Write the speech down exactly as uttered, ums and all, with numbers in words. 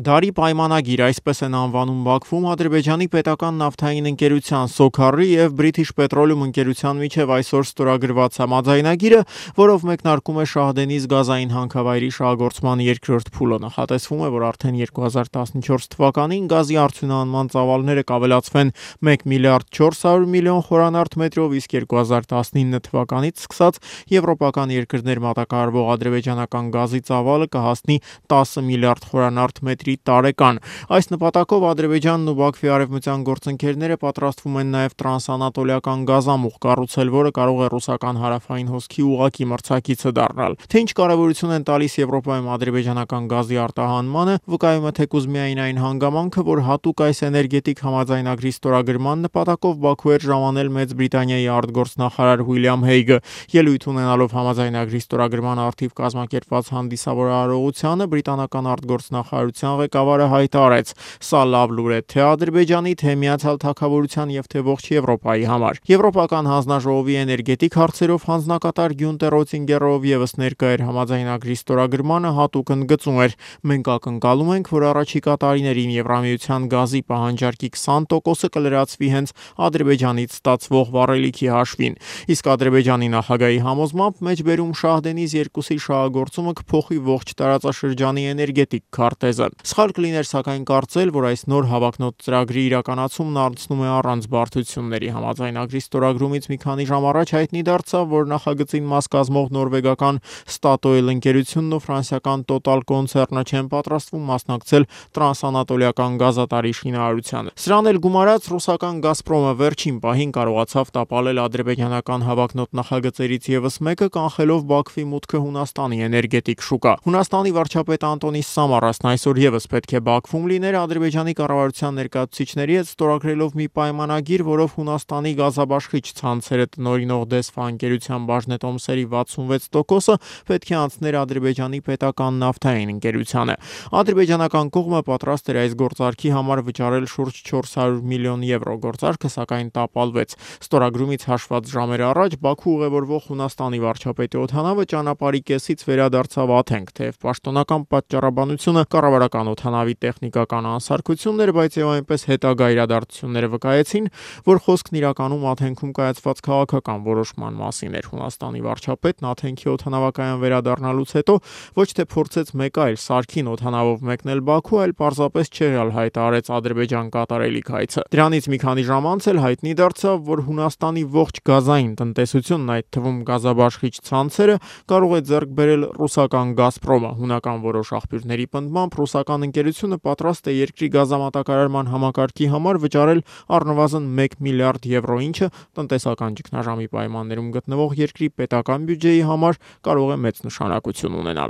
Դարի պայմանագիր, այսպես են անվանում Բաքվում Ադրբեջանի պետական նավթային ընկերության Սոքարի և British Petroleum ընկերության միջև այսօր ստորագրված համաձայնագիրը, որով մեկնարկում է Շահդենիզ գազային հանքավայրի շահագործման երկրորդ փուլը։ Նախատեսվում է, որ արդեն երկու հազար տասնչորս թվականին գազի արդյունահանման ծավալները կավելացվեն մեկ միլիարդ չորս հարյուր միլիոն խորանարդ մետրով, իսկ երկու հազար տասնինը թվականից սկսած եվրոպական երկրներ մատակարարվող ադրբեջանական գազի ծավալը կհասնի տասը միլիարդ խորանարդ մետրի տարեկան։ Այս նպատակով Ադրբեջանն ու Բաքվի արևմտյան գործընկերները պատրաստվում են նաև տրանսանատոլիական գազամուղ կառուցել, որը կարող է ռուսական հարավային հոսքի ուղղակի մրցակիցը դառնալ։ Թե ինչ կարևորություն են տալիս Եվրոպայում ադրբեջանական գազի արտահանմանը, վկայում է թեկուզ միայն այն հանգամանքը, որ հատուկ այս էներգետիկ համաձայնագրի ստորագրման նպատակով Բաքու էր ժամանել Մեծ Բրիտանիայի արտգործնախարար Ուիլյամ Հեյգը։ Ելույթ ունենալով համաձայնագրի ստորագրման առթիվ կազմակերպված հանդիսավոր արարողությանը բրիտանական արտգործնախարարության ղեկավարը հայտարարեց. «Սա լավ լուր է թե Ադրբեջանի, թե Միացյալ Թագավորության և թե ողջ Եվրոպայի համար»։ Եվրոպական հանձնաժողովի էներգետիկ հարցերով հանձնակատար Գյունտեր Օթինգերը, ով ևս ներկա էր համաձայնագրի ստորագրմանը, հատուկ ընդգծում էր. «Մենք ակնկալում ենք, որ առաջիկա տարիներին Եվրամիության գազի պահանջարկի քսան տոկոսը կլրացվի հենց Ադրբեջանից ստացվող վառելիքի հաշվին»։ Իսկ Ադրբեջանի նախագահի համոզմամբ մեջբերում Շահդենիզ երկուսի շահագործումը կփոխի ողջ տարածաշրջանի էներգետիկ քարտեզը։ Սխալ կլիներ սակայն կարծել, որ այս նոր հավակնոտ ծրագրի իրականացումն անցնում է առանց բարդությունների։ Համաձայնագրի ստորագրումից մի քանի ժամ առաջ հայտնի դարձավ, որ նախագծին մաս կազմող նորվեգական Statoil ընկերությունն ու ֆրանսիական Total կոնցեռնը չեն պատրաստվում մասնակցել տրանսանատոլիական գազատարի շինարարությանը։ Սրան էլ գումարած ռուսական Գազպրոմը վերջին պահին կարողացավ տապալել ադրբեջանական հավակնոտ նախագծերից ևս մեկը, կանխելով Բաքվի մուտքը Հունաստանի էներգետիկ շուկա։ Հունաստանի վարչապետ Անտոնի Սամարասն այսօր ևս պետք է Բաքվում լիներ Ադրբեջանի կառավարության ներկայացուցիչների հետ ստորագրելով մի պայմանագիր, որով Հունաստանի գազաբաշխիչ ցանցերը տնօրինող Դեսֆա ընկերության բաժնետոմսերի վաթսունվեց տոկոսը պետք է անցներ Ադրբեջանի պետական նավթային ընկերությանը։ Ադրբեջանական կողմը պատրաստ էր այս գործարքի համար վճարել շուրջ չորս հարյուր միլիոն եվրո։ Գործարքը սակայն տապալվեց։ Ստորագրումից հաշված ժամեր առաջ Բաքու ուղևորվող Հունաստանի վարչապետի օդանավը ճանապարհի կեսից վերադարձավ Աթենք, թեև պաշտոնական պատճառաբանությունը կառավարական օդանավի տեխնիկական անսարքությունն էր, բայց եւ այնպես հետագա իրադարձությունները վկայեցին, որ խոսքն իրականում Աթենքում կայացված քաղաքական որոշման մասին էր։ Հունաստանի վարչապետն Աթենքի օդանավակայան վերադառնալուց հետո ոչ թե փորձեց մեկ այլ սարքին օդանավով մեկնել Բաքու, այլ պարզապես չեղյալ հայտարարեց Ադրբեջան կատարելիք հայցը։ Դրանից մի քանի ժամ անց էլ հայտնի դարձավ, որ Հունաստանի ողջ գազային տնտեսությունն, այդ թվում գազաբաշխիչ ցանցերը, կարող է ձեռք բերել ռուսական Գազպրոմը։ Հունական որոշ աղբյուրների պնդմամբ ռուսական ընկերությունը պատրաստ է երկրի գազամատակարարման համակարգի համար վճարել առնվազն մեկ միլիարդ եվրո, ինչը տնտեսական ճգնաժամի պայմաններում գտնվող երկրի պետական բյուջեի համար կարող է մեծ նշանակություն ունենալ։